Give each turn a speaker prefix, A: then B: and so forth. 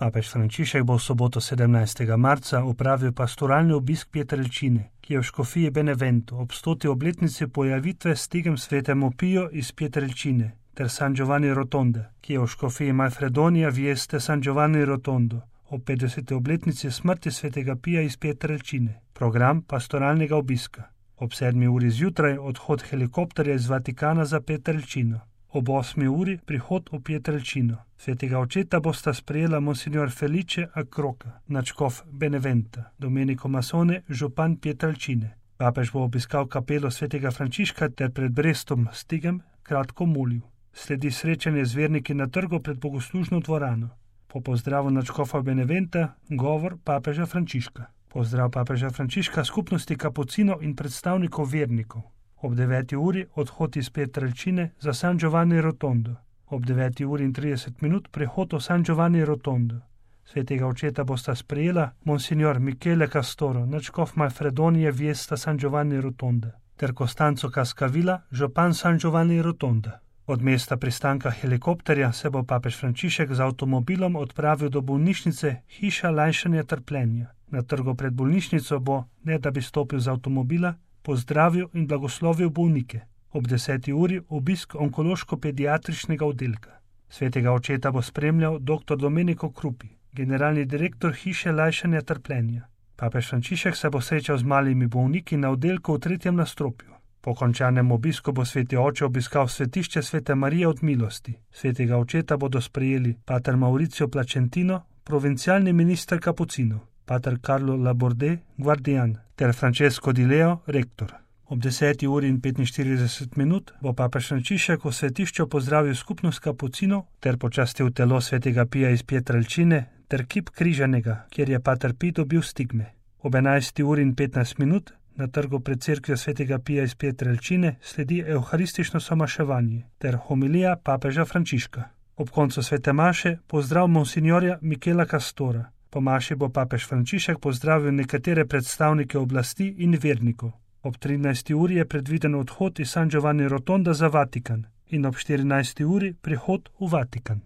A: Papež Frančišek bo v soboto 17. marca opravil pastoralni obisk Pietrelcine, ki je v škofiji Benevento ob 100. obletnici pojavitve stigem svetemu Piju iz Pietrelcine, ter San Giovanni Rotonde, ki je v škofiji Manfredonia Vieste San Giovanni Rotondo ob 50. obletnici smrti svetega Pija iz Pietrelcine. Program pastoralnega obiska. Ob 7. uri zjutraj odhod helikopterja iz Vatikana za Pietrelcino. Ob 8. uri prihod v Pietrelcino. Svetega očeta bosta sprejela monsignor Felice Accroca, nadškof Beneventa, Domenico Masone, župan Pietrelcine. Papež bo obiskal kapelo svetega Frančiška ter pred Brestom Stigem kratko molil. Sledi srečanje z verniki na trgu pred bogoslužno dvorano. Po pozdravu nadškofa Beneventa govor papeža Frančiška. Pozdrav papeža Frančiška skupnosti kapucinov in predstavnikov vernikov. Ob 9. uri odhod iz Pietrelcine za San Giovanni Rotondo. Ob 9. uri in 30 minut prehod v San Giovanni Rotondo. Svetega očeta bosta sprejela monsignor Michele Castoro, nadškof Manfredonije Viesta San Giovanni Rotonda, ter Costanzo Cascavilla, župan San Giovanni Rotonda. Od mesta pristanka helikopterja se bo papež Frančišek z avtomobilom odpravil do bolnišnice Hiša lajšanja trpljenja. Na trgu pred bolnišnico bo, ne da bi stopil z avtomobila, pozdravil in blagoslovil bolnike. Ob 10. uri obisk onkološko-pediatričnega oddelka. Svetega očeta bo spremljal dr. Domenico Krupi, generalni direktor Hiše lajšanja trpljenja. Papež Frančišek se bo srečal z malimi bolniki na oddelku v 3. nadstropju. Po končanem obisku bo sveti oče obiskal svetišče Svete Marije od milosti. Svetega očeta bodo sprejeli pater Mauricio Placentino, provincialni minister kapucinov, pater Carlo Laborde, guardian, ter Francesco Di Leo, rektor. Ob 10. uri in 45 minut bo papež Frančišek v svetišču pozdravil skupnost kapucinov ter počastil telo svetega Pija iz Pietrelcine ter kip križanega, kjer je pater Pij dobil stigme. Ob 11. uri in 15 minut na trgu pred cerkvijo svetega Pija iz Pietrelcine sledi evharistično somaševanje ter homilija papeža Frančiška. Ob koncu svete maše pozdrav monsignorja Michela Castora. Po maši bo papež Frančišek pozdravil nekatere predstavnike oblasti in vernikov. Ob 13. uri je predviden odhod iz San Giovanni Rotonda za Vatikan in ob 14. uri prihod v Vatikan.